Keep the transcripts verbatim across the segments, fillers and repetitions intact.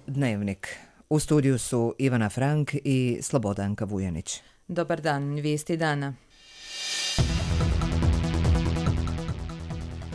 Dnevnik. U studiju su Ivana Frank i Slobodanka Vujanić. Dobar dan, vijesti dana.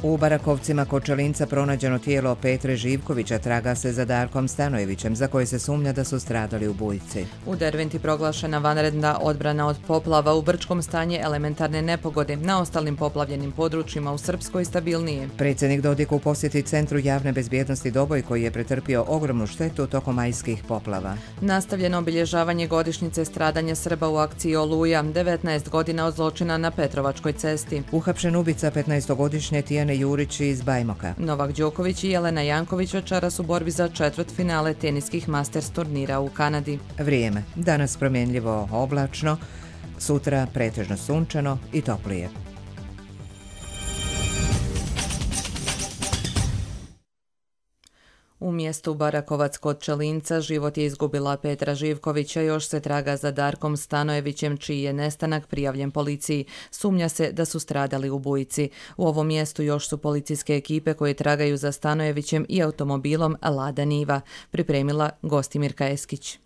U Barakovcima kod Čelinca pronađeno tijelo Petre Živkovića, traga se za Darkom Stanojevićem, za koje se sumnja da su stradali u Bujici. U Derventi proglašena vanredna odbrana od poplava, u Brčkom stanje elementarne nepogode, na ostalim poplavljenim područjima u Srpskoj stabilnije. Predsjednik Dodik u posjeti Centru javne bezbjednosti Doboj, koji je pretrpio ogromnu štetu tokom majskih poplava. Nastavljeno obilježavanje godišnjice stradanja Srba u akciji Oluja, devetnaest godina od zločina na Petrovačkoj cesti. Uhapšen ubica petnaestogodišnje Tijane Jurić iz Bajmoka. Novak Đoković i Jelena Janković večeras u borbi za četvrtfinale teniskih Masters turnira u Kanadi. Vrijeme. Danas promjenljivo oblačno, sutra pretežno sunčano i toplije. U mjestu Barakovac kod Čelinca život je izgubila Petra Živkovića, još se traga za Darkom Stanojevićem, čiji je nestanak prijavljen policiji. Sumnja se da su stradali u Bujici. U ovom mjestu još su policijske ekipe koje tragaju za Stanojevićem i automobilom Lada Niva, pripremila Gostimirka Eskić.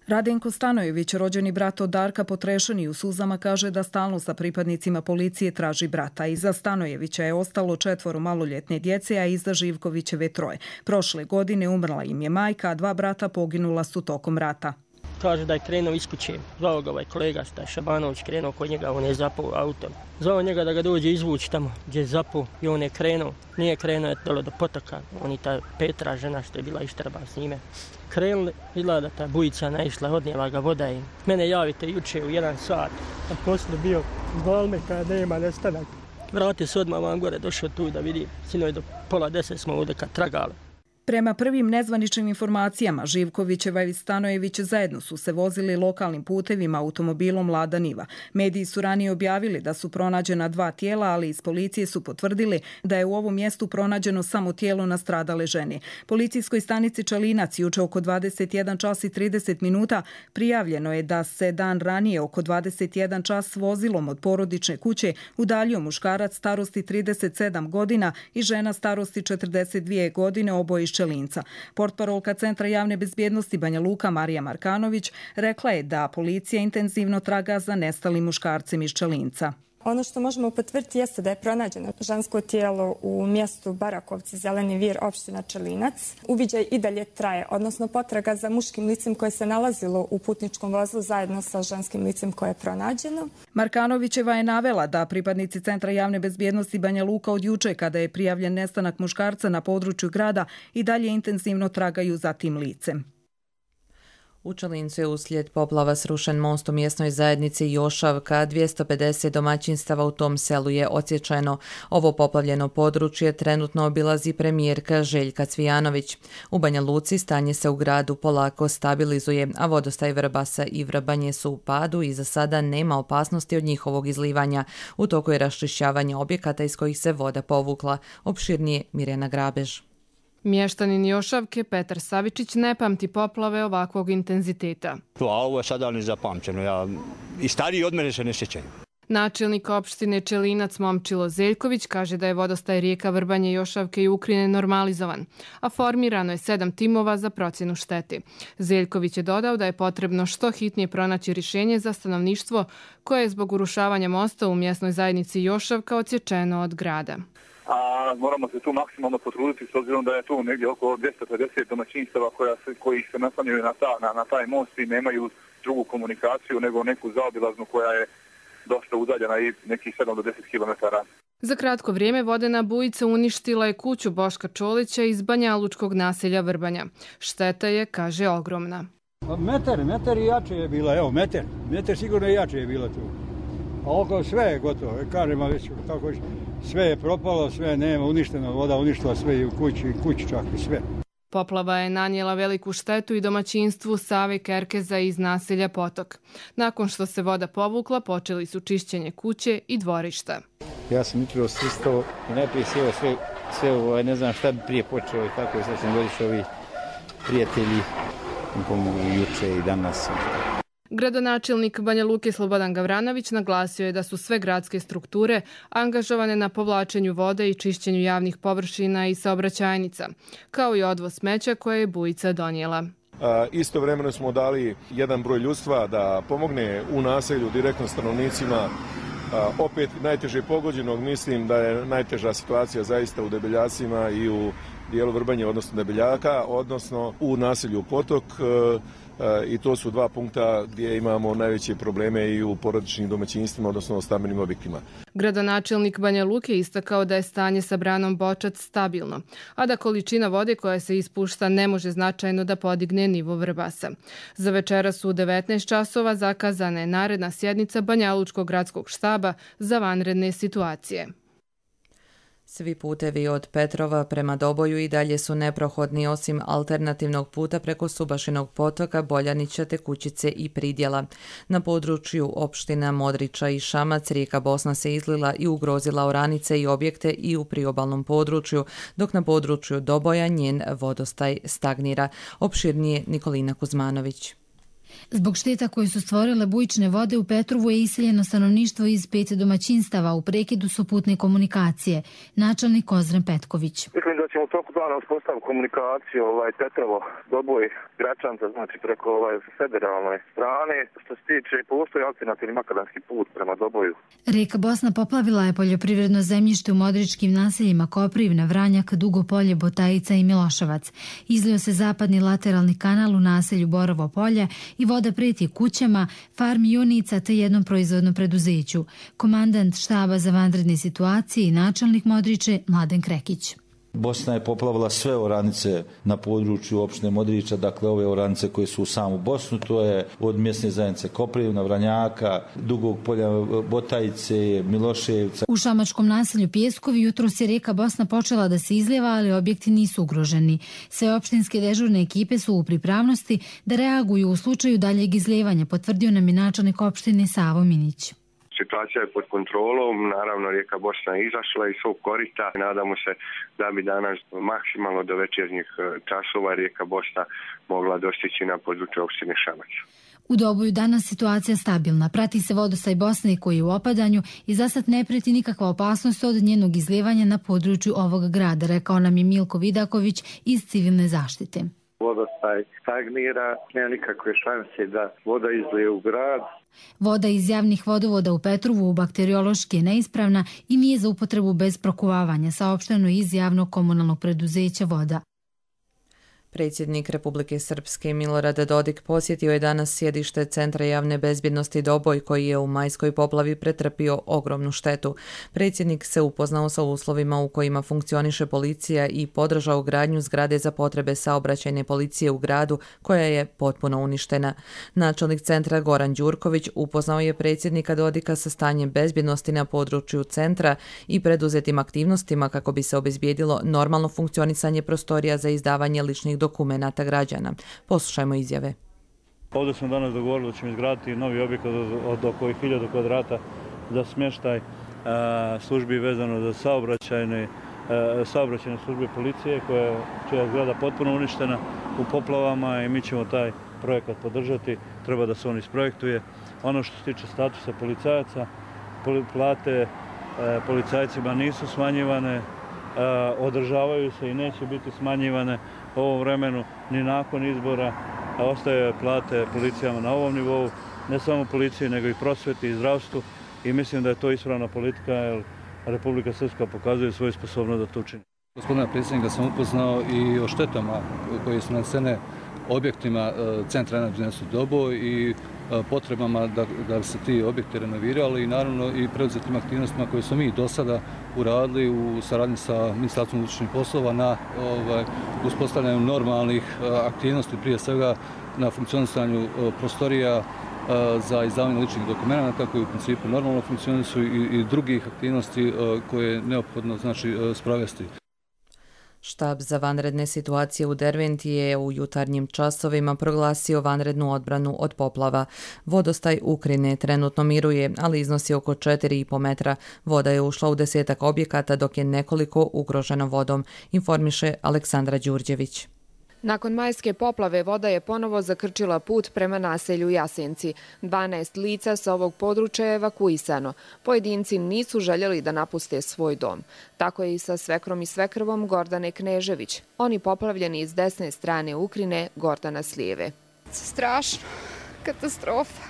Radenko Stanojević, rođeni brat od Darka, potrešen i u suzama, kaže da stalno sa pripadnicima policije traži brata. Iza Stanojevića je ostalo četvoro maloljetne djece, a iza Živkovićeve troje. Prošle godine umrla im je majka, a dva brata poginula su tokom rata. Kaže da je krenuo iz kuće. Zvao ga ovaj kolega Staj Šabanović, krenuo kod njega, on je zapao autom. Zvao njega da ga dođe izvući tamo gdje je zapao i on je krenuo. Nije krenuo, je dole do potoka. On i ta Petra, žena što je bila ištrban s njime. Krenuli, izgleda da ta bujica naišla, odnijela ga voda i mene javite juče u jedan sat. A poslije bio zvalme kada nema nestanak. Vratio se odmah vam gore, došao tu da vidi. Sinoć do pola deset smo ovdje kad tragali. Prema prvim nezvaničnim informacijama, Živkovićeva i Stanojević zajedno su se vozili lokalnim putevima automobilom Lada Niva. Mediji su ranije objavili da su pronađena dva tijela, ali iz policije su potvrdili da je u ovom mjestu pronađeno samo tijelo nastradale žene. Policijskoj stanici Čelinac juče oko dvadeset jedan čas i trideset minuta prijavljeno je da se dan ranije oko dvadeset jedan čas vozilom od porodične kuće udaljio muškarac starosti trideset sedam godina i žena starosti četrdeset dvije godine, oboje iz Čelinca. Portparolka Centra javne bezbjednosti Banja Luka Marija Markanović rekla je da policija intenzivno traga za nestalim muškarcem iz Čelinca. Ono što možemo potvrditi jeste da je pronađeno žensko tijelo u mjestu Barakovci, Zeleni Vir, opština Čelinac. Uviđaj i dalje traje, odnosno potraga za muškim licem koje se nalazilo u putničkom vozu zajedno sa ženskim licem koje je pronađeno. Markanovićeva je navela da pripadnici Centra javne bezbjednosti Banja Luka od juče, kada je prijavljen nestanak muškarca na području grada, i dalje intenzivno tragaju za tim licem. U Čelincu je uslijed poplava srušen most u mjesnoj zajednici Jošavka, dvjesto pedeset domaćinstava u tom selu je odsječeno. Ovo poplavljeno područje trenutno obilazi premijerka Željka Cvijanović. U Banja Luci stanje se u gradu polako stabilizuje, a vodostaj Vrbasa i Vrbanje su u padu i za sada nema opasnosti od njihovog izlivanja. U toku je raščišćavanje objekata iz kojih se voda povukla. Opširnije Mirjana Grabež. Mještanin Jošavke Petar Savičić ne pamti poplave ovakvog intenziteta. A ovo je sada nezapamćeno. Ja, i stariji od mene se ne sjećaju. Načelnik opštine Čelinac Momčilo Zeljković kaže da je vodostaj rijeka Vrbanje, Jošavke i Ukrine normalizovan, a formirano je sedam timova za procjenu štete. Zeljković je dodao da je potrebno što hitnije pronaći rješenje za stanovništvo koje je zbog urušavanja mosta u mjesnoj zajednici Jošavka odsječeno od grada. A moramo se tu maksimalno potruditi s obzirom da je tu negdje oko dvjesto pedeset domaćinstava koja se, koji se naslanjaju na, ta, na, na taj most i nemaju drugu komunikaciju nego neku zaobilaznu koja je dosta udaljena i nekih sedam do deset kilometara. Za kratko vrijeme vodena bujica uništila je kuću Boška Čolića iz banjalučkog naselja Vrbanja. Šteta je, kaže, ogromna. Metar, metar i jače je bila, evo metar, metar sigurno i jače je bila tu. A oko sve je gotovo, kažemo već kako sve je propalo, sve nema, uništeno, voda uništila sve i u kući, i kući čak i sve. Poplava je nanijela veliku štetu i domaćinstvu Save Kerkeza iz naselja Potok. Nakon što se voda povukla, počeli su čišćenje kuće i dvorišta. Ja sam jutro sustao i najprije sjeo sve, sve ovo, ne znam šta bi prije počeo i tako je, sad sam došao ovi prijatelji mi pomogu juče i danas. Gradonačelnik Banja Luke Slobodan Gavranović naglasio je da su sve gradske strukture angažovane na povlačenju vode i čišćenju javnih površina i saobraćajnica, kao i odvoz smeća koje je bujica donijela. Istovremeno smo dali jedan broj ljudstva da pomogne u naselju direktno stanovnicima. Opet najteže pogođenog, mislim da je najteža situacija zaista u Debeljacima i u dijelu Vrbanje, odnosno Debeljaka, odnosno u naselju Potok, i to su dva punkta gdje imamo najveće probleme i u porodičnim domaćinstvima, odnosno u stambenim objektima. Gradonačelnik Banja Luke istakao da je stanje sa branom Bočac stabilno, a da količina vode koja se ispušta ne može značajno da podigne nivo Vrbasa. Za večeras u devetnaest časova zakazana je naredna sjednica Banjalučkog gradskog štaba za vanredne situacije. Svi putevi od Petrova prema Doboju i dalje su neprohodni osim alternativnog puta preko Subašinog potoka, Boljanića, Tekućice i Pridjela. Na području opština Modrića i Šamac rijeka Bosna se izlila i ugrozila oranice i objekte i u priobalnom području, dok na području Doboja njen vodostaj stagnira. Opširnije Nikolina Kuzmanović. Zbog šteta koje su stvorile bujične vode u Petrovu je iseljeno stanovništvo iz pet domaćinstava, u prekidu su putne komunikacije. Načelnik Kozren Petković. Mislim da ćemo u toku dana uspostaviti komunikaciju ovaj, Petrovo, Doboj, Gračanca, znači preko ovaj, federalne strane. Što se tiče, postoji alternativni makadamski put prema Doboju. Rijeka Bosna poplavila je poljoprivredno zemljište u modričkim naseljima Koprivna, Vranjak, Dugopolje, Botajica i Miloševac. Izlio se zapadni lateralni kanal u naselju Borovo polje i voda preti kućama, farmi junica te jednom proizvodnom preduzeću. Komandant štaba za vanredne situacije i načelnik Modriče Mladen Krekić. Bosna je poplavila sve oranice na području opštine Modrića, dakle ove oranice koje su u samu Bosnu, to je od mjesne zajednice Koprivna, Vranjaka, Dugog polja, Botajice, Miloševca. U šamačkom naselju Pjeskovi jutros je rijeka Bosna počela da se izlijeva, ali objekti nisu ugroženi. Sve opštinske dežurne ekipe su u pripravnosti da reaguju u slučaju daljeg izlijevanja, potvrdio nam je načelnik opštine Savo Minić. Situacija je pod kontrolom, naravno rijeka Bosna je izašla iz svog korita. Nadamo se da bi danas maksimalno do večernjih časova rijeka Bosna mogla dostići na području opštine Šamac. U Doboju danas situacija stabilna. Prati se vodostaj Bosne koji je u opadanju i za sad ne preti nikakva opasnost od njenog izlijevanja na području ovog grada, rekao nam je Milko Vidaković iz civilne zaštite. Vodostaj stagnira, nema nikakve šanse da voda izlije u grad. Voda iz javnih vodovoda u Petrovu bakteriološki je neispravna i nije za upotrebu bez prokuvavanja, saopšteno iz javnog komunalnog preduzeća Voda. Predsjednik Republike Srpske Milorad Dodik posjetio je danas sjedište Centra javne bezbjednosti Doboj, koji je u majskoj poplavi pretrpio ogromnu štetu. Predsjednik se upoznao sa uslovima u kojima funkcioniše policija i podržao gradnju zgrade za potrebe saobraćajne policije u gradu, koja je potpuno uništena. Načelnik centra Goran Đurković upoznao je predsjednika Dodika sa stanjem bezbjednosti na području centra i preduzetim aktivnostima kako bi se obezbijedilo normalno funkcionisanje prostorija za izdavanje ličnih dokumenata građana. Poslušajmo izjave. Ovdje smo danas dogovorili da ćemo izgraditi novi objekat od oko hiljadu kvadrata za smještaj službi vezano za saobraćajne, saobraćajne službe policije, čija je zgrada potpuno uništena u poplavama i mi ćemo taj projekat podržati. Treba da se on isprojektuje. Ono što se tiče statusa policajaca, plate policajcima nisu smanjivane, održavaju se i neće biti smanjivane u ovom vremenu ni nakon izbora. Ostaje plate policijama na ovom nivou, ne samo policiji nego i prosveti i zdravstvu, i mislim da je to ispravna politika jer Republika Srpska pokazuje svoju sposobnost da to učini. Gospodina predsjednika sam upoznao i o štetama koje su nanesene objektima Centra javne bezbjednosti Doboj i potrebama da, da bi se ti objekti renovirali i naravno i preuzetim aktivnostima koje smo mi do sada uradili u saradnji sa Ministarstvom unutrašnjih poslova na ovaj, uspostavljanju normalnih aktivnosti, prije svega na funkcionisanju prostorija za izdavanje ličnih dokumenata koji u principu normalno funkcionišu i, i drugih aktivnosti koje je neophodno znači sprovesti. Štab za vanredne situacije u Derventi je u jutarnjim časovima proglasio vanrednu odbranu od poplava. Vodostaj Ukrine trenutno miruje, ali iznosi oko četiri i po metra. Voda je ušla u desetak objekata, dok je nekoliko ugroženo vodom, informiše Aleksandra Đurđević. Nakon majske poplave voda je ponovo zakrčila put prema naselju Jasenci. dvanaest lica sa ovog područja je evakuisano. Pojedinci nisu željeli da napuste svoj dom. Tako je i sa svekrom i svekrvom Gordane Knežević. Oni poplavljeni iz desne strane Ukrine, Gordana s lijeve. Strašno. Katastrofa.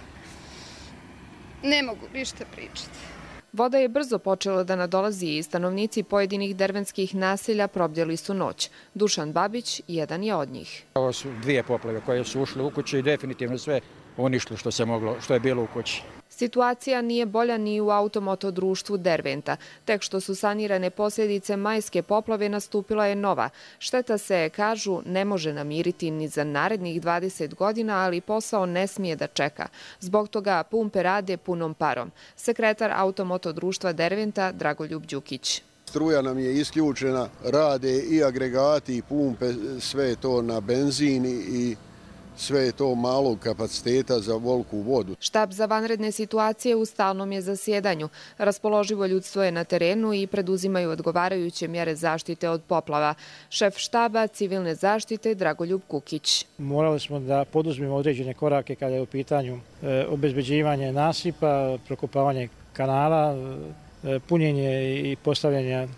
Ne mogu ništa pričati. Voda je brzo počela da nadolazi i stanovnici pojedinih dervenskih naselja probdjeli su noć. Dušan Babić jedan je od njih. Ovo su dvije poplave koje su ušle u kuću i definitivno sve uništilo što se moglo, što je bilo u kući. Situacija nije bolja ni u automoto društvu Derventa. Tek što su sanirane posljedice majske poplave nastupila je nova. Šteta se, kažu, ne može namiriti ni za narednih dvadeset godina, ali posao ne smije da čeka. Zbog toga pumpe rade punom parom. Sekretar automoto društva Derventa Dragoljub Đukić. Struja nam je isključena, rade i agregati i pumpe, sve je to na benzin i sve je to malog kapaciteta za volku vodu. Štab za vanredne situacije u stalnom je zasjedanju. Raspoloživo ljudstvo je na terenu i preduzimaju odgovarajuće mjere zaštite od poplava. Šef štaba civilne zaštite Dragoljub Kukić. Morali smo da poduzmemo određene korake kada je u pitanju e, obezbeđivanje nasipa, prokopavanje kanala, e, punjenje i postavljanje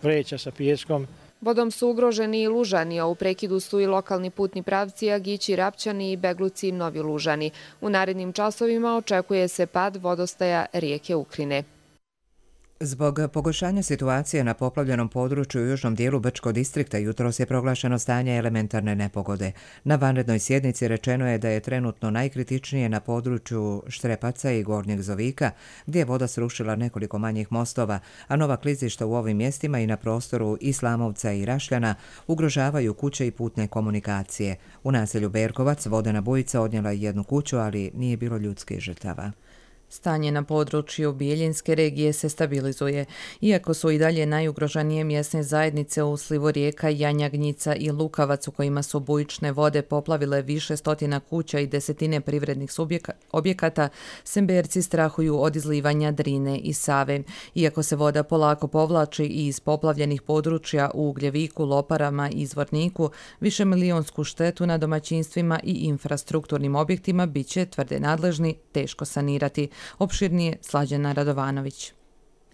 vreća sa pijeskom. Vodom su ugroženi i Lužani, a u prekidu su i lokalni putni pravci Agići, Rapčani i Begluci, Novi Lužani. U narednim časovima očekuje se pad vodostaja rijeke Ukrine. Zbog pogoršanja situacije na poplavljenom području u južnom dijelu Brčkog distrikta jutros je proglašeno stanje elementarne nepogode. Na vanrednoj sjednici rečeno je da je trenutno najkritičnije na području Štrepaca i Gornjeg Zovika, gdje je voda srušila nekoliko manjih mostova, a nova klizišta u ovim mjestima i na prostoru Islamovca i Rašljana ugrožavaju kuće i putne komunikacije. U naselju Berkovac vodena bujica odnijela jednu kuću, ali nije bilo ljudskih žrtava. Stanje na području Bijeljinske regije se stabilizuje. Iako su i dalje najugroženije mjesne zajednice u slivu rijeka Janjagnjica i Lukavac, u kojima su bujične vode poplavile više stotina kuća i desetine privrednih objekata, Semberci strahuju od izlivanja Drine i Save. Iako se voda polako povlači i iz poplavljenih područja u Ugljeviku, Loparama i Zvorniku, višemilijonsku štetu na domaćinstvima i infrastrukturnim objektima bit će, tvrde nadležni, teško sanirati. Opširnije Slađana Radovanović.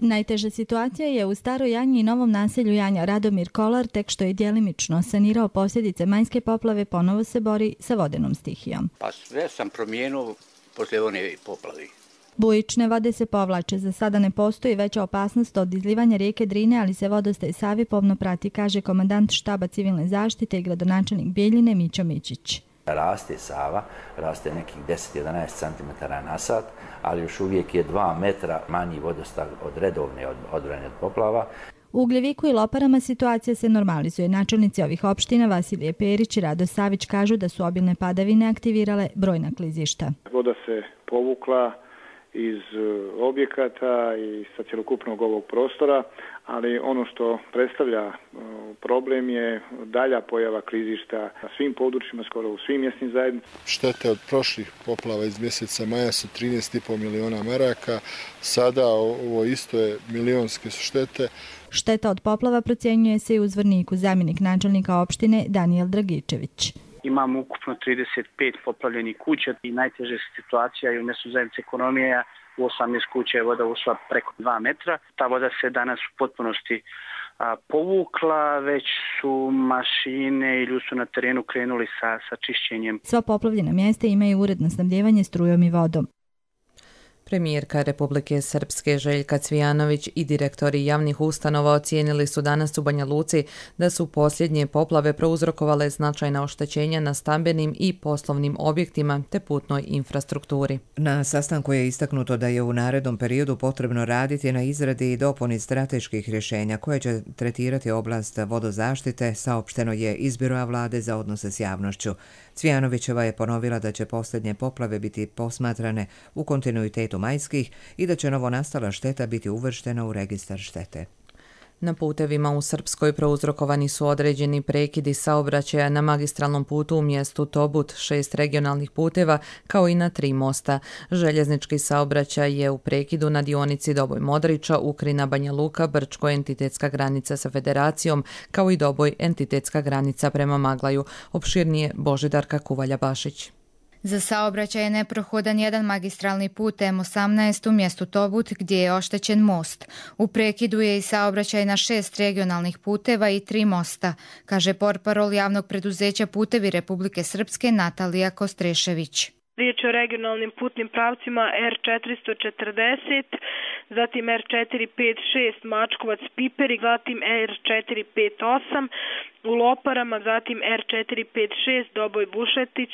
Najteža situacija je u Staroj Janji i novom naselju Janja. Radomir Kolar, tek što je djelimično sanirao posljedice majske poplave, ponovo se bori sa vodenom stihijom. Pa sve sam promijenio posle one poplavi. Bujične vode se povlače. Za sada ne postoji veća opasnost od izlivanja rijeke Drine, ali se vodostaj Savi pomno prati, kaže komandant štaba civilne zaštite i gradonačelnik Bijeljine Mićo Mićić. Raste Sava, raste nekih deset do jedanaest centimetara na sat, ali još uvijek je dva metra manji vodostaj od redovne odbrane od poplava. U Ugljeviku i Loparama situacija se normalizuje. Načelnici ovih opština Vasilije Perić i Rado Savić kažu da su obilne padavine aktivirale brojna klizišta. Voda se povukla iz objekata i sa cjelokupnog ovog prostora, ali ono što predstavlja problem je dalja pojava klizišta na svim područjima, skoro u svim mjesnim zajednicama. Štete od prošlih poplava iz mjeseca maja su trinaest i pol miliona maraka, sada ovo isto je milionske su štete. Šteta od poplava procjenjuje se i u Zvorniku, zamjenik načelnika opštine Danijel Dragičević. Imamo ukupno trideset pet poplavljenih kuća i najteža situacija je u mjestu zajednice ekonomije. U osamnaest kuća je voda ušla preko dva metra. Ta voda se danas u potpunosti a, povukla, već su mašine i ljudi su na terenu krenuli sa, sa čišćenjem. Sva poplavljena mjesta imaju uredno snabdjevanje strujom i vodom. Premijerka Republike Srpske Željka Cvijanović i direktori javnih ustanova ocijenili su danas u Banja Luci da su posljednje poplave prouzrokovale značajna oštećenja na stambenim i poslovnim objektima te putnoj infrastrukturi. Na sastanku je istaknuto da je u narednom periodu potrebno raditi na izradi i dopuni strateških rješenja koje će tretirati oblast vodozaštite, saopšteno je iz Biroa vlade za odnose s javnošću. Cvijanovićeva je ponovila da će posljednje poplave biti posmatrane u kontinuitetu majskih i da će novonastala šteta biti uvrštena u registar štete. Na putevima u Srpskoj prouzrokovani su određeni prekidi saobraćaja na magistralnom putu u mjestu Tobut, šest regionalnih puteva, kao i na tri mosta. Željeznički saobraćaj je u prekidu na dionici Doboj Modriča, Ukrina, Banja Luka, Brčko, entitetska granica sa Federacijom, kao i Doboj, entitetska granica prema Maglaju. Opširnije Božidarka Kuvalja-Bašić. Za saobraćaj je neprohodan jedan magistralni put M osamnaest u mjestu Tobut gdje je oštećen most. U prekidu je i saobraćaj na šest regionalnih puteva i tri mosta, kaže portparol javnog preduzeća Putevi Republike Srpske Natalija Kostrešević. Riječ je o regionalnim putnim pravcima R četiristo četrdeset, zatim R četiri pet šest Mačkovac-Piperi, zatim R četiri pet osam u Loparama, zatim R četiri pet šest Doboj-Bušletić,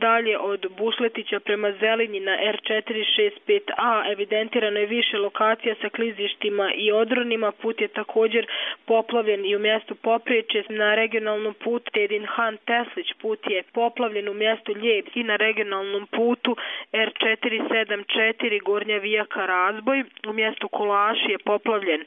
dalje od Bušletića prema Zelinji na R četiri šest pet A evidentirano je više lokacija sa klizištima i odronima. Put je također poplavljen i u mjestu Popriječe. Na regionalnom putu Edin Han Teslić put je poplavljen u mjestu Ljeb i na regionalnom putu R četiri sedam četiri Gornja Vijaka Razboj u mjestu Kolaši je poplavljen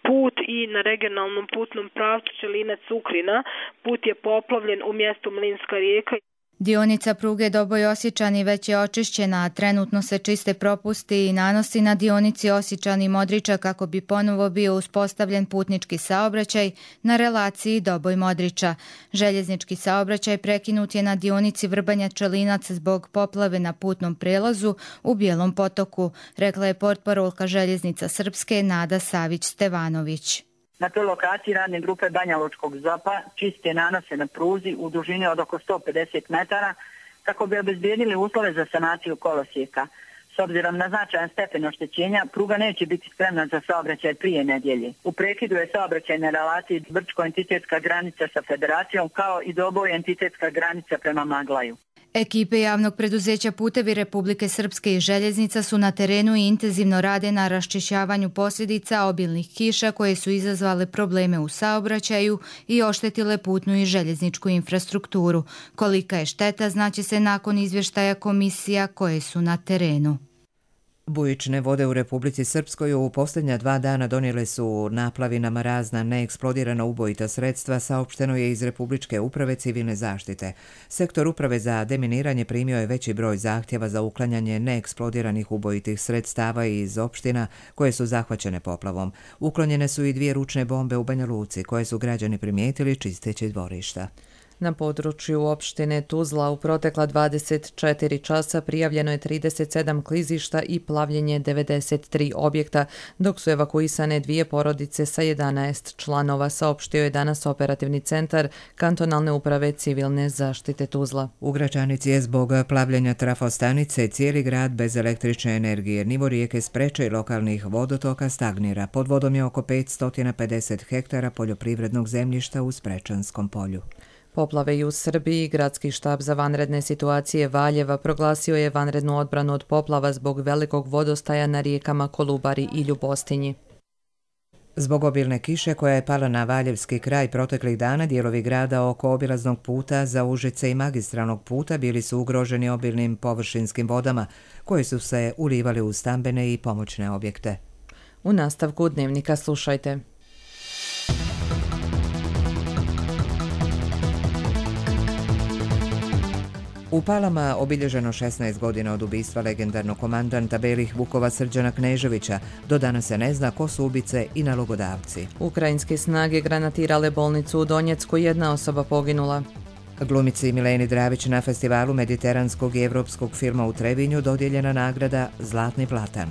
put i na regionalnom putnom pravcu Čelinac-Ukrina put je poplavljen u mjestu Mlinska rijeka. Dionica pruge Doboj-Osječani već je očišćena, a trenutno se čiste propusti i nanosi na dionici Osječani-Modriča kako bi ponovo bio uspostavljen putnički saobraćaj na relaciji Doboj-Modriča. Željeznički saobraćaj prekinut je na dionici Vrbanja-Čelinac zbog poplave na putnom prelazu u Bijelom potoku, rekla je portparolka Željeznica Srpske Nada Savić-Stevanović. Na toj lokaciji radne grupe Banja Lučkog zopa čiste nanose na pruzi u dužini od oko sto pedeset metara kako bi obezbijedili uslove za sanaciju kolosijeka. S obzirom na značajan stepen oštećenja, pruga neće biti spremna za saobraćaj prije nedjelje. U prekidu je saobraćaj na relaciji Brčko entitetska granica sa Federacijom kao i Doboj entitetska granica prema Maglaju. Ekipe javnog preduzeća Putevi Republike Srpske i Željeznica su na terenu i intenzivno rade na raščišćavanju posljedica obilnih kiša koje su izazvale probleme u saobraćaju i oštetile putnu i željezničku infrastrukturu. Kolika je šteta znaće se nakon izvještaja komisija koje su na terenu. Bujične vode u Republici Srpskoj u posljednja dva dana donijele su naplavinama razna neeksplodirana ubojita sredstva, saopšteno je iz Republičke uprave civilne zaštite. Sektor uprave za deminiranje primio je veći broj zahtjeva za uklanjanje neeksplodiranih ubojitih sredstava iz opština koje su zahvaćene poplavom. Uklonjene su i dvije ručne bombe u Banja Luci koje su građani primijetili čisteći dvorišta. Na području opštine Tuzla u protekla dvadeset četiri časa prijavljeno je trideset sedam klizišta i plavljenje devedeset tri objekta, dok su evakuisane dvije porodice sa jedanaest članova, saopštio je danas operativni centar kantonalne uprave civilne zaštite Tuzla. U Gračanici je zbog plavljenja trafostanice cijeli grad bez električne energije. Nivo rijeke Spreče i lokalnih vodotoka stagnira. Pod vodom je oko petsto pedeset hektara poljoprivrednog zemljišta u Sprečanskom polju. Poplave i u Srbiji. Gradski štab za vanredne situacije Valjeva proglasio je vanrednu odbranu od poplava zbog velikog vodostaja na rijekama Kolubari i Ljubostinji. Zbog obilne kiše koja je pala na Valjevski kraj proteklih dana, dijelovi grada oko obilaznog puta za Užice i magistralnog puta bili su ugroženi obilnim površinskim vodama koje su se ulivali u stambene i pomoćne objekte. U nastavku dnevnika slušajte. U Palama obilježeno šesnaest godina od ubistva legendarnog komandanta Belih Vukova Srđana Kneževića. Do danas se ne zna ko su ubice i nalogodavci. Ukrajinske snage granatirale bolnicu u Donjecku, jedna osoba poginula. Glumici Mileni Dravić na festivalu mediteranskog i evropskog filma u Trebinju dodijeljena nagrada Zlatni platan.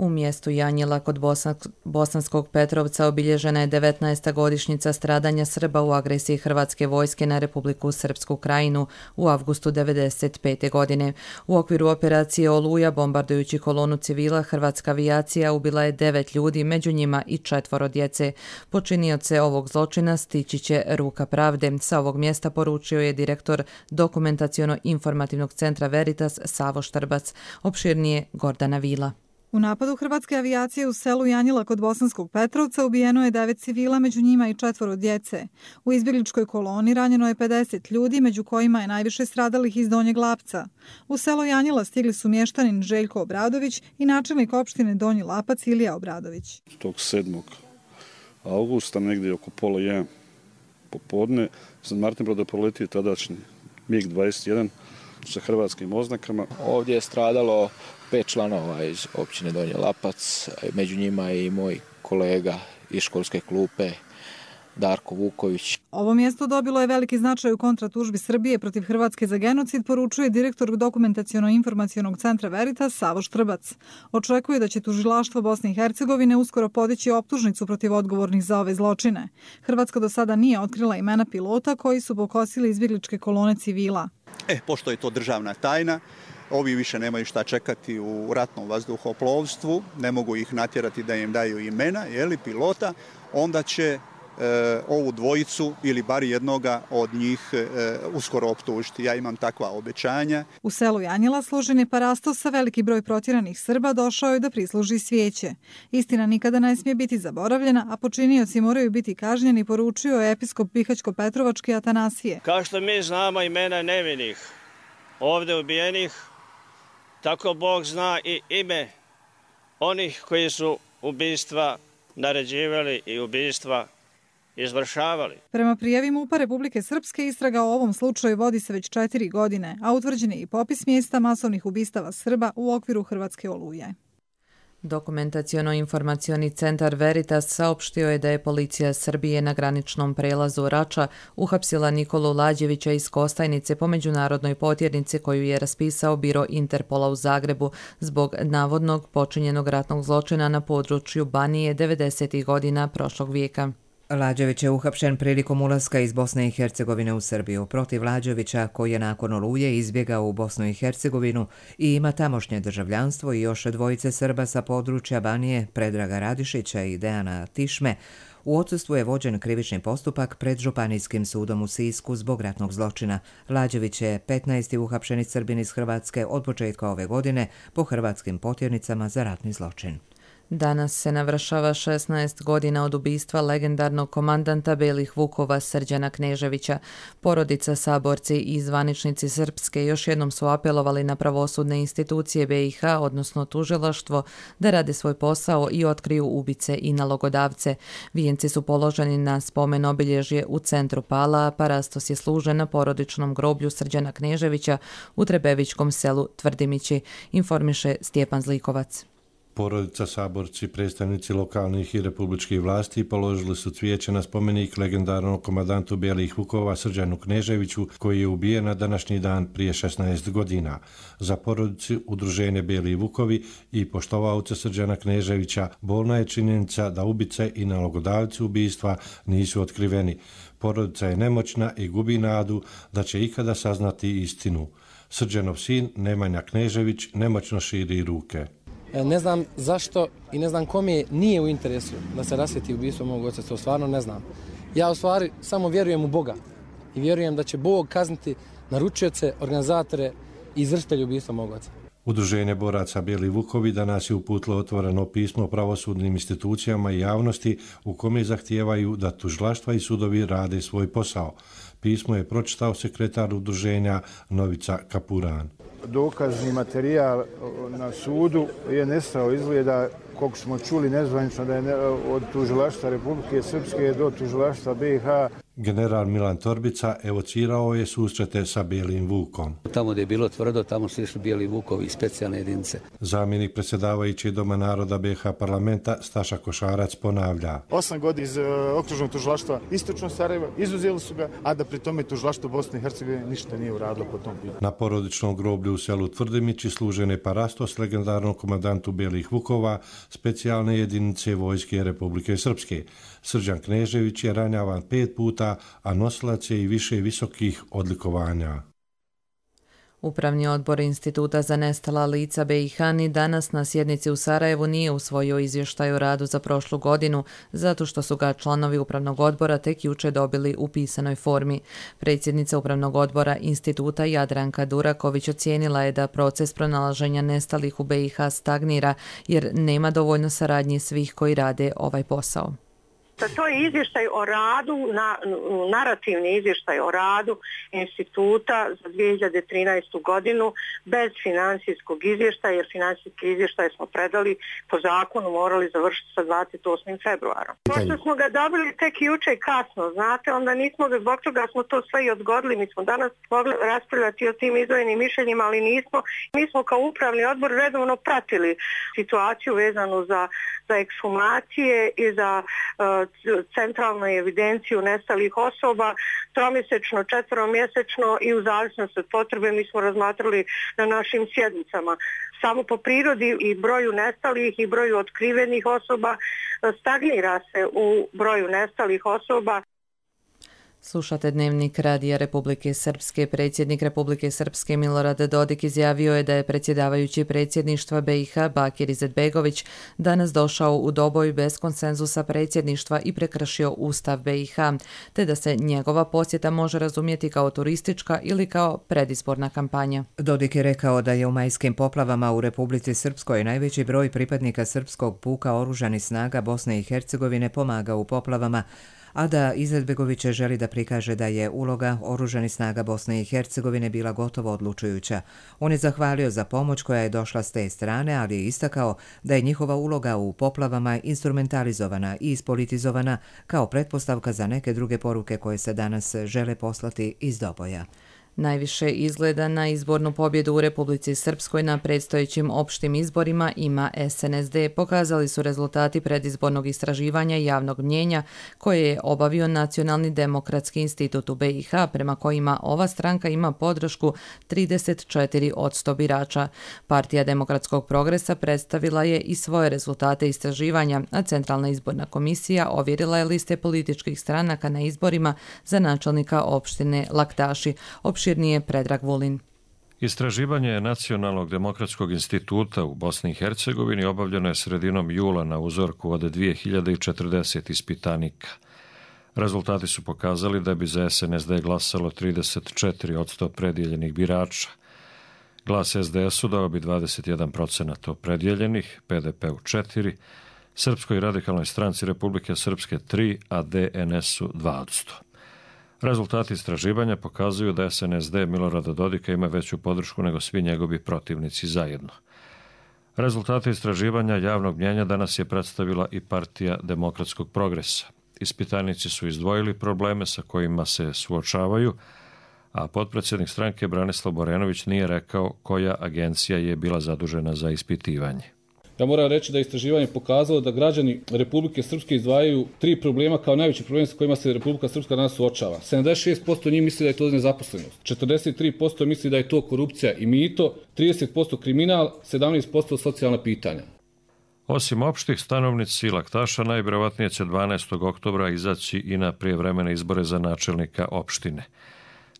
U mjestu Janjela kod Bosanskog Petrovca obilježena je devetnaesta godišnjica stradanja Srba u agresiji Hrvatske vojske na Republiku Srpsku Krajinu u avgustu devedeset pete. godine. U okviru operacije Oluja, bombardujući kolonu civila, hrvatska avijacija ubila je devet ljudi, među njima i četvoro djece. Počinioce ovog zločina stići će ruka pravde. Sa ovog mjesta poručio je direktor Dokumentaciono-informativnog centra Veritas Savo Štrbac. Opširnije Gordana Vila. U napadu hrvatske avijacije u selu Janjila kod Bosanskog Petrovca ubijeno je devet civila, među njima i četvoro djece. U izbjegličkoj koloni ranjeno je pedeset ljudi, među kojima je najviše stradalih iz Donjeg Lapca. U selo Janjila stigli su mještanin Željko Obradović i načelnik opštine Donji Lapac Ilija Obradović. Tog sedmog augusta, negdje oko pola jedan popodne, San Martin Broda proletio tadašnji mig dvadeset jedan sa hrvatskim oznakama. Ovdje je stradalo pet članova iz općine Donji Lapac, među njima i moj kolega iz školske klupe Darko Vuković. Ovo mjesto dobilo je veliki značaj u kontratužbi Srbije protiv Hrvatske za genocid, poručuje direktor dokumentaciono-informacionog centra Veritas Savo Štrbac. Očekuje da će tužilaštvo Bosne i Hercegovine uskoro podići optužnicu protiv odgovornih za ove zločine. Hrvatska do sada nije otkrila imena pilota koji su pokosili izbjegličke kolone civila. E, pošto je to državna tajna, ovi više nemaju šta čekati u ratnom vazduhoplovstvu, ne mogu ih natjerati da im daju imena, jeli, pilota, onda će e, ovu dvojicu ili bar jednoga od njih e, uskoro optužiti. Ja imam takva obećanja. U selu Janjila složen je parastos sa veliki broj protjeranih Srba došao je da prisluži svijeće. Istina nikada ne smije biti zaboravljena, a počinioci moraju biti kažnjeni, poručio je episkop Bihaćko-Petrovački Atanasije. Kao što mi znamo imena nevinih, ovdje ubijenih, tako Bog zna i ime onih koji su ubistva naređivali i ubistva izvršavali. Prema prijavi MUP-a Republike Srpske istraga o ovom slučaju vodi se već četiri godine, a utvrđen je i popis mjesta masovnih ubistava Srba u okviru Hrvatske oluje. Dokumentaciono-informacioni centar Veritas saopštio je da je policija Srbije na graničnom prelazu Rača uhapsila Nikolu Lađevića iz Kostajnice po međunarodnoj potjernici koju je raspisao biro Interpola u Zagrebu zbog navodnog počinjenog ratnog zločina na području Banije devedesetih godina prošlog vijeka. Lađević je uhapšen prilikom ulaska iz Bosne i Hercegovine u Srbiju. Protiv Lađevića, koji je nakon Oluje izbjegao u Bosnu i Hercegovinu i ima tamošnje državljanstvo, i još dvojice Srba sa područja Banije, Predraga Radišića i Dejana Tišme, u odsustvu je vođen krivični postupak pred Županijskim sudom u Sisku zbog ratnog zločina. Lađević je petnaesti uhapšeni Srbin iz Hrvatske od početka ove godine po hrvatskim potjernicama za ratni zločin. Danas se navršava šesnaest godina od ubistva legendarnog komandanta Belih Vukova Srđana Kneževića. Porodica, saborci i zvaničnici Srpske još jednom su apelovali na pravosudne institucije B i H, odnosno tužilaštvo, da rade svoj posao i otkriju ubice i nalogodavce. Vijenci su položeni na spomen obilježje u centru Pala, a parastos je služen na porodičnom groblju Srđana Kneževića u Trebevićkom selu Tvrdimići, informiše Stjepan Zlikovac. Porodica, saborci, predstavnici lokalnih i republičkih vlasti položili su cvijeće na spomenik legendarnom komandantu Belih Vukova Srđanu Kneževiću, koji je ubijen na današnji dan prije šesnaest godina. Za porodicu Udruženje Beli Vukovi i poštovaoce Srđana Kneževića bolna je činjenica da ubice i nalogodavci ubistva nisu otkriveni. Porodica je nemoćna i gubi nadu da će ikada saznati istinu. Srđanov sin Nemanja Knežević nemoćno širi ruke. Ne znam zašto i ne znam kome nije u interesu da se rasvjeti ubistvo mog oca, to stvarno ne znam. Ja u stvari samo vjerujem u Boga i vjerujem da će Bog kazniti naručioce, organizatore i izvršitelje ubistva mog oca. Udruženje boraca Beli Vukovi danas je uputilo otvoreno pismo pravosudnim institucijama i javnosti u kome zahtijevaju da tužilaštva i sudovi rade svoj posao. Pismo je pročitao sekretar udruženja Novica Kapuran. Dokazni materijal na sudu je nestao, izgleda, koliko smo čuli nezvanično, da je od tužilaštva Republike Srpske do tužilaštva B i H. General Milan Torbica evocirao je susrete sa Belim Vukom. Tamo gdje je bilo tvrdo, tamo su išli Beli Vukovi i specijalne jedinice. Zamjenik predsjedavajući Doma naroda B i H parlamenta Staša Košarac ponavlja. Osam godina iz uh, okružnog tužilaštva istočno Sarajeva, izuzeli su ga, a da pri tome tužilaštvo Bosne i Hercegovine ništa nije uradilo po tom pitanju. Na porodičnom groblju u selu Tvrdimići služen je parastos legendarnom komandantu Belih Vukova, specijalne jedinice Vojske Republike Srpske. Srđan Knežević je ranjavan pet puta, a nosilac je i više visokih odlikovanja. Upravni odbor Instituta za nestala lica B i H ni danas na sjednici u Sarajevu nije usvojio izvještaj o radu za prošlu godinu, zato što su ga članovi upravnog odbora tek jučer dobili u pisanoj formi. Predsjednica upravnog odbora Instituta Jadranka Duraković ocijenila je da proces pronalaženja nestalih u B i H stagnira jer nema dovoljno saradnje svih koji rade ovaj posao. To je izvještaj o radu, na, narativni izvještaj o radu instituta za dvije hiljade trinaestu godinu bez financijskog izvještaja, jer financijski izvještaj smo predali po zakonu morali završiti sa dvadeset osmim februarom. Pošto smo ga dobili tek juče kasno, znate, onda nismo ga, zbog toga smo to sve i odgodili. Mi smo danas mogli raspravljati o tim izdvojenim mišljenjima, ali nismo. Mi smo kao upravni odbor redovno pratili situaciju vezanu za, za ekshumacije i za uh, centralnu evidenciju nestalih osoba, tromjesečno, četveromjesečno i u zavisnosti od potrebe mi smo razmatrali na našim sjednicama. Samo po prirodi i broju nestalih i broju otkrivenih osoba stagnira se u broju nestalih osoba. Slušate Dnevnik Radija Republike Srpske. Predsjednik Republike Srpske Milorad Dodik izjavio je da je predsjedavajući predsjedništva B i H Bakir Izetbegović danas došao u doboj bez konsenzusa predsjedništva i prekršio Ustav B i H, te da se njegova posjeta može razumjeti kao turistička ili kao predizborna kampanja. Dodik je rekao da je u majskim poplavama u Republici Srpskoj najveći broj pripadnika srpskog puka oružanih snaga Bosne i Hercegovine pomagao u poplavama, a da Izetbegović želi da prikaže da je uloga oružanih snaga Bosne i Hercegovine bila gotovo odlučujuća. On je zahvalio za pomoć koja je došla s te strane, ali je istakao da je njihova uloga u poplavama instrumentalizovana i ispolitizovana kao pretpostavka za neke druge poruke koje se danas žele poslati iz doboja. Najviše izgleda na izbornu pobjedu u Republici Srpskoj na predstojećim opštim izborima ima S N S D, pokazali su rezultati predizbornog istraživanja javnog mnjenja koje je obavio Nacionalni demokratski institut u B i H, prema kojima ova stranka ima podršku trideset četiri posto birača. Partija demokratskog progresa predstavila je i svoje rezultate istraživanja, a Centralna izborna komisija ovjerila je liste političkih stranaka na izborima za načelnika opštine Laktaši. Opširnije Predrag Vulin. Istraživanje Nacionalnog demokratskog instituta u Bosni i Hercegovini obavljeno je sredinom jula na uzorku od dvije hiljade četrdeset ispitanika. Rezultati su pokazali da bi za S N S D glasalo trideset četiri posto predjeljenih birača. Glas S D S-u dao bi dvadeset jedan procenat opredjeljenih, P D P-u četiri, Srpskoj radikalnoj stranci Republike Srpske tri, a D N S-u dva posto. Rezultati istraživanja pokazuju da S N S D Milorada Dodika ima veću podršku nego svi njegovi protivnici zajedno. Rezultate istraživanja javnog mnjenja danas je predstavila i Partija demokratskog progresa. Ispitanici su izdvojili probleme sa kojima se suočavaju, a potpredsjednik stranke Branislav Borenović nije rekao koja agencija je bila zadužena za ispitivanje. Ja moram reći da je istraživanje pokazalo da građani Republike Srpske izdvajaju tri problema kao najveći problem sa kojima se Republika Srpska danas suočava. sedamdeset šest posto njih misli da je to nezaposlenost, četrdeset tri posto misli da je to korupcija i mito, trideset posto kriminal, sedamnaest posto socijalna pitanja. Osim opštih, stanovnici Laktaša najvjerovatnije će dvanaestog oktobra izaći i na prijevremene izbore za načelnika opštine.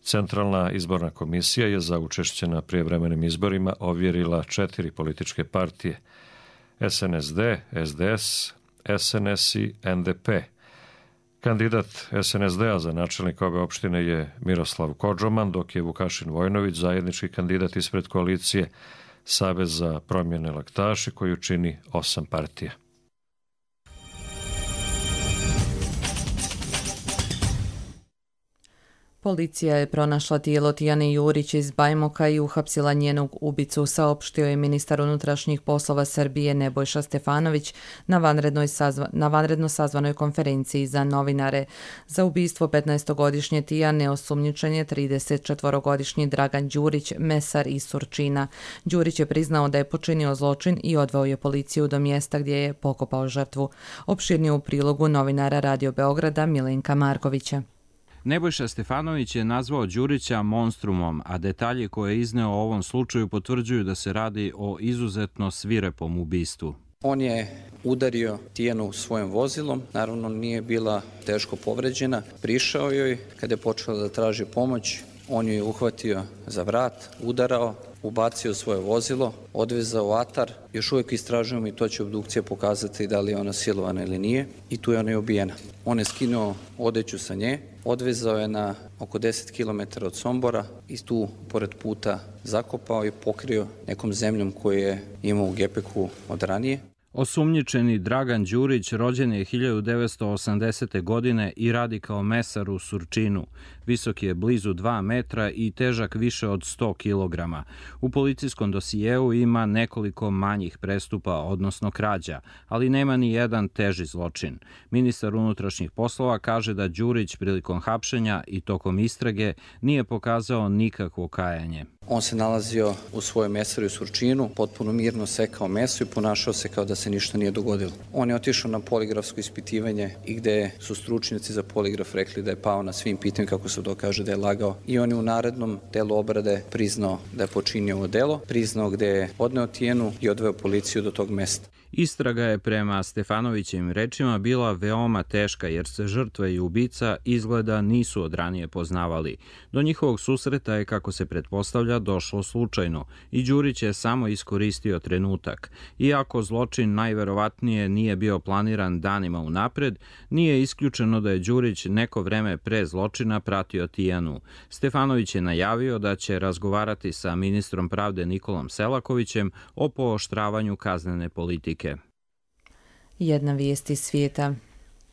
Centralna izborna komisija je za učešće na prijevremenim izborima ovjerila četiri političke partije: S N S D, S D S, S N S i N D P. Kandidat S N S D-a za načelnika ove opštine je Miroslav Kodžoman, dok je Vukašin Vojnović zajednički kandidat ispred koalicije Savez za promjene Laktaši, koju čini osam partija. Policija je pronašla tijelo Tijane Jurić iz Bajmoka i uhapsila njenog ubicu, saopštio je ministar unutrašnjih poslova Srbije Nebojša Stefanović na, vanrednoj sazva, na vanredno sazvanoj konferenciji za novinare. Za ubistvo petnaestogodišnje Tijane osumnjičen je tridesetčetvorogodišnji Dragan Đurić, mesar iz Surčina. Đurić je priznao da je počinio zločin i odveo je policiju do mjesta gdje je pokopao žrtvu. Opširnije u prilogu novinara Radio Beograda Milenka Markovića. Nebojša Stefanović je nazvao Đurića monstrumom, a detalji koje je izneo o ovom slučaju potvrđuju da se radi o izuzetno svirepom ubistvu. On je udario Tijanu svojim vozilom, naravno nije bila teško povređena. Prišao joj, kada je počela da traži pomoć, On ju je uhvatio za vrat, udarao, ubacio svoje vozilo, odvezao u atar. Još uvijek istražujemo i to će obdukcija pokazati da li je ona silovana ili nije. I tu je ona i ubijena. On je skinuo odeću sa nje, odvezao je na oko deset kilometara od Sombora i tu pored puta zakopao i pokrio nekom zemljom koju je imao u gepeku od ranije. Osumnjičeni Dragan Đurić rođen je hiljadu devetsto osamdesete. godine i radi kao mesar u Surčinu. Visok je blizu dva metra i težak više od sto kilograma. U policijskom dosijeu ima nekoliko manjih prestupa, odnosno krađa, ali nema ni jedan teži zločin. Ministar unutrašnjih poslova kaže da Đurić prilikom hapšenja i tokom istrage nije pokazao nikakvo kajanje. On se nalazio u svojoj mesari u Surčinu, potpuno mirno sekao meso i ponašao se kao da se ništa nije dogodilo. On je otišao na poligrafsko ispitivanje i gde su stručnjaci za poligraf rekli da je pao na svim pitanjima, kako se dokaže da je lagao. I on je u narednom delu obrade priznao da je počinio ovo delo, priznao gde je odneo Tijenu i odveo policiju do tog mesta. Istraga je prema Stefanovićevim rečima bila veoma teška jer se žrtva i ubica izgleda nisu od ranije poznavali. Do njihovog susreta je, kako se pretpostavlja, došlo slučajno i Đurić je samo iskoristio trenutak. Iako zločin najverovatnije nije bio planiran danima unapred, nije isključeno da je Đurić neko vreme pre zločina pratio Tijanu. Stefanović je najavio da će razgovarati sa ministrom pravde Nikolom Selakovićem o pooštravanju kaznene politike. Jedna vijest iz svijeta.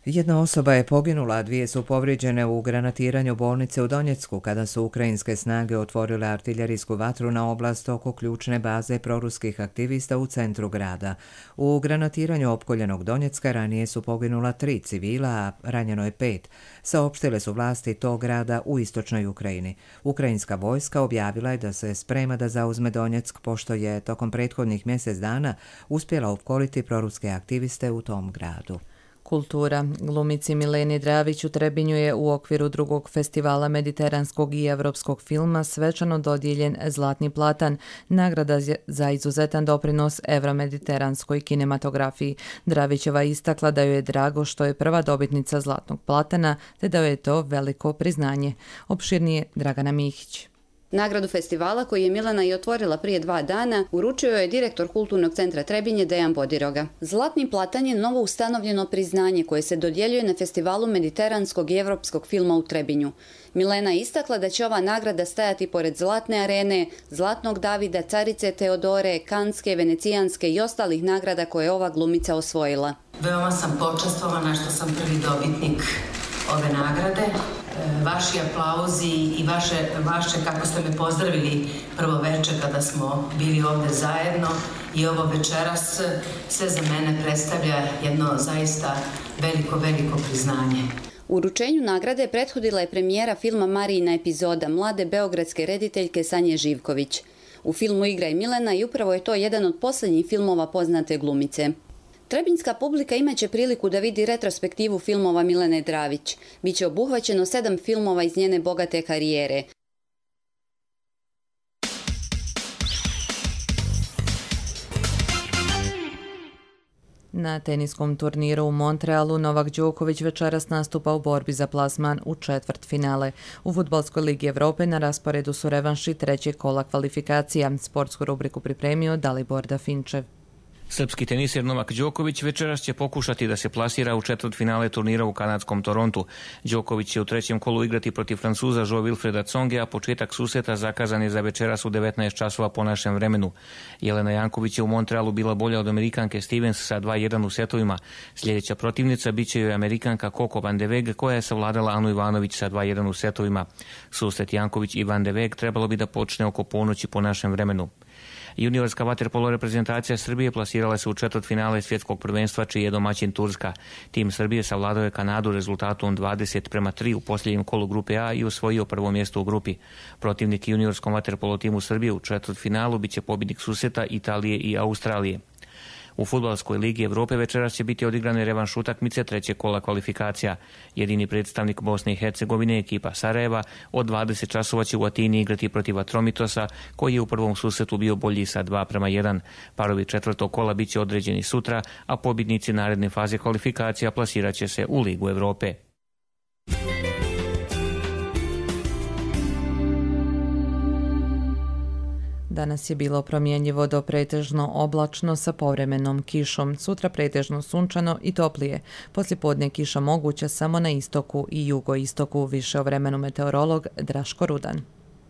Jedna osoba je poginula, a dvije su povrijeđene u granatiranju bolnice u Donjecku kada su ukrajinske snage otvorile artiljerijsku vatru na oblast oko ključne baze proruskih aktivista u centru grada. U granatiranju opkoljenog Donjecka ranije su poginula tri civila, a ranjeno je pet, saopštile su vlasti tog grada u istočnoj Ukrajini. Ukrajinska vojska objavila je da se sprema da zauzme Donjeck, pošto je tokom prethodnih mjesec dana uspjela opkoliti proruske aktiviste u tom gradu. Kultura. Glumici Mileni Dravić u Trebinju je u okviru drugog festivala mediteranskog i evropskog filma svečano dodijeljen Zlatni platan, nagrada za izuzetan doprinos evromediteranskoj kinematografiji. Dravićeva istakla da joj je drago što je prva dobitnica Zlatnog platana, te da joj je to veliko priznanje. Opširnije Dragana Mihić. Nagradu festivala, koju je Milena i otvorila prije dva dana, uručio je direktor Kulturnog centra Trebinje Dejan Bodiroga. Zlatni platan je novo ustanovljeno priznanje koje se dodjeljuje na festivalu mediteranskog i evropskog filma u Trebinju. Milena je istakla da će ova nagrada stajati pored Zlatne arene, Zlatnog Davida, Carice Teodore, Kanske, Venecijanske i ostalih nagrada koje je ova glumica osvojila. Veoma sam počastvovana što sam prvi dobitnik ove nagrade. Vaši aplauzi i vaše, vaše kako ste me pozdravili prvo večer kada smo bili ovdje zajedno i ovo večeras sve za mene predstavlja jedno zaista veliko, veliko priznanje. Uručenju nagrade prethodila je premijera filma Marijina epizoda mlade beogradske rediteljke Sanje Živković. U filmu igra i Milena i upravo je to jedan od posljednjih filmova poznate glumice. Trebinjska publika imaće priliku da vidi retrospektivu filmova Milene Dravić. Biće obuhvaćeno sedam filmova iz njene bogate karijere. Na teniskom turniru u Montrealu Novak Đoković večeras nastupa u borbi za plasman u četvrtfinale. U Fudbalskoj ligi Evrope na rasporedu su revanši trećeg kola kvalifikacija. Sportsku rubriku pripremio Dalibor Dafinčev. Srpski teniser Novak Đoković večeras će pokušati da se plasira u četvrtfinale turnira u kanadskom Torontu. Đoković će u trećem kolu igrati protiv Francuza Jo Wilfreda Tsonge, a početak susreta zakazan je za večeras u devetnaest časova po našem vremenu. Jelena Janković je u Montrealu bila bolja od Amerikanke Stevens sa dva jedan u setovima. Sljedeća protivnica biće joj Amerikanka Coco Van de Weg, koja je savladala Anu Ivanović sa dva jedan u setovima. Susret Janković i Van de Weg trebalo bi da počne oko ponoći po našem vremenu. Juniorska vaterpolo reprezentacija Srbije plasirala se u četvrtfinale svjetskog prvenstva, čiji je domaćin Turska. Tim Srbije savladao je Kanadu rezultatom dvadeset prema tri u posljednjem kolu grupe A i osvojio prvo mjesto u grupi. Protivnik juniorskom vaterpolo timu Srbije u četvrtfinalu biće pobjednik susreta Italije i Australije. U Fudbalskoj ligi Evrope večeras će biti odigrane revanš utakmice trećeg kola kvalifikacija. Jedini predstavnik Bosne i Hercegovine, ekipa Sarajeva, od dvadeset časova će u Atini igrati protiv Atromitosa, koji je u prvom susretu bio bolji sa dva prema jedan. Parovi četvrtog kola bit će određeni sutra, a pobjednici naredne faze kvalifikacija plasirat će se u Ligu Evrope. Danas je bilo promjenjivo do pretežno oblačno sa povremenom kišom. Sutra pretežno sunčano i toplije. Poslijepodne kiša moguća samo na istoku i jugoistoku. Više o vremenu meteorolog Draško Rudan.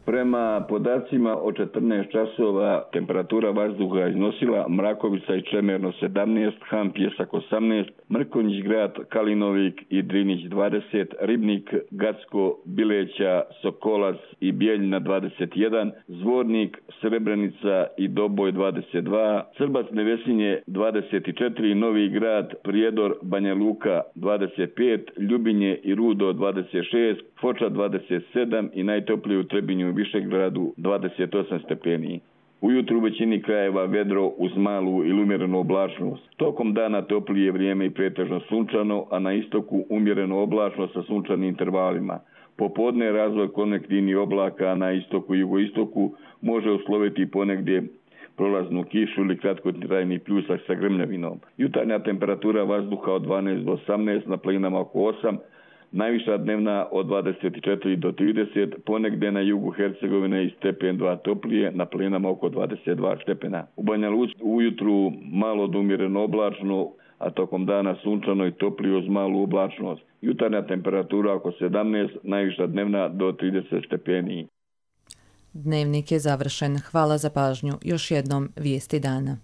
Prema podacima od četrnaest časova temperatura vazduha iznosila Mrakovica i Čemerno sedamnaest, Han Pjesak osamnaest, Mrkonjić Grad, Kalinovik i Drinić dvadeset, Ribnik, Gacko, Bileća, Sokolac i Bijeljina dvadeset jedan, Zvornik, Srebrenica i Doboj dvadeset dva, Crbac Nevesinje dvadeset četiri, Novi Grad, Prijedor, Banja Luka dvadeset pet, Ljubinje i Rudo dvadeset šest, Foča dvadeset sedam i najtoplije u Trebinju i Višegradu dvadeset osam stepeni. Ujutru u većini krajeva vedro uz malu ili umjerenu oblačnost. Tokom dana toplije vrijeme i pretežno sunčano, a na istoku umjereno oblačno sa sunčanim intervalima. Popodne razvoj konvektivnih oblaka, a na istoku i jugoistoku može usloviti ponegdje prolaznu kišu ili kratkotrajni pljusak sa grmljavinom. Jutarnja temperatura vazduha od dvanaest do osamnaest, na planinama oko osam, najviša dnevna od dvadeset četiri do trideset, ponegdje na jugu Hercegovine i stepen dva toplije, na planinama oko dvadeset dva stepena. U Banja Luci ujutru malo do umjereno oblačno, a tokom dana sunčano i toplije uz malu oblačnost. Jutarnja temperatura oko sedamnaest, najviša dnevna do trideset stepeni. Dnevnik je završen. Hvala za pažnju. Još jednom vijesti dana.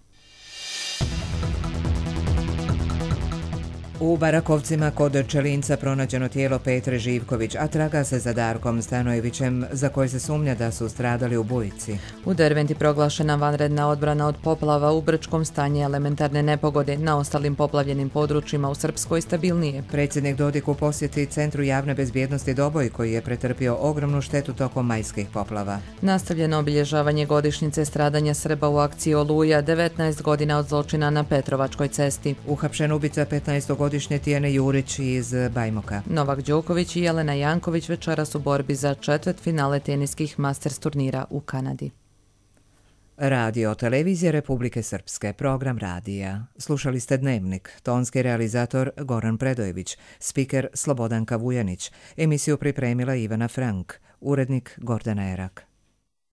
U Barakovcima kod Čelinca pronađeno tijelo Petre Živković, a traga se za Darkom Stanojevićem, za koje se sumnja da su stradali u bujici. U Derventi proglašena vanredna odbrana od poplava, u Brčkom stanje elementarne nepogode, na ostalim poplavljenim područjima u Srpskoj stabilnije. Predsjednik Dodik u posjeti Centru javne bezbjednosti Doboj, koji je pretrpio ogromnu štetu tokom majskih poplava. Nastavljeno obilježavanje godišnjice stradanja Srba u akciji Oluja, devetnaest godina od zločina na Petrovačkoj cesti. Uhapšen ubica petnaestogodišnje Tijene Jurić iz Bajmoka. Novak Đoković i Jelena Janković večeras u borbi za četvrt finale teniskih Masters turnira u Kanadi. Radio Televizija Republike Srpske, program radija. Slušali ste Dnevnik, tonski realizator Goran Predojević, spiker Slobodanka Vujanić, emisiju pripremila Ivana Frank, urednik Gordana Erak.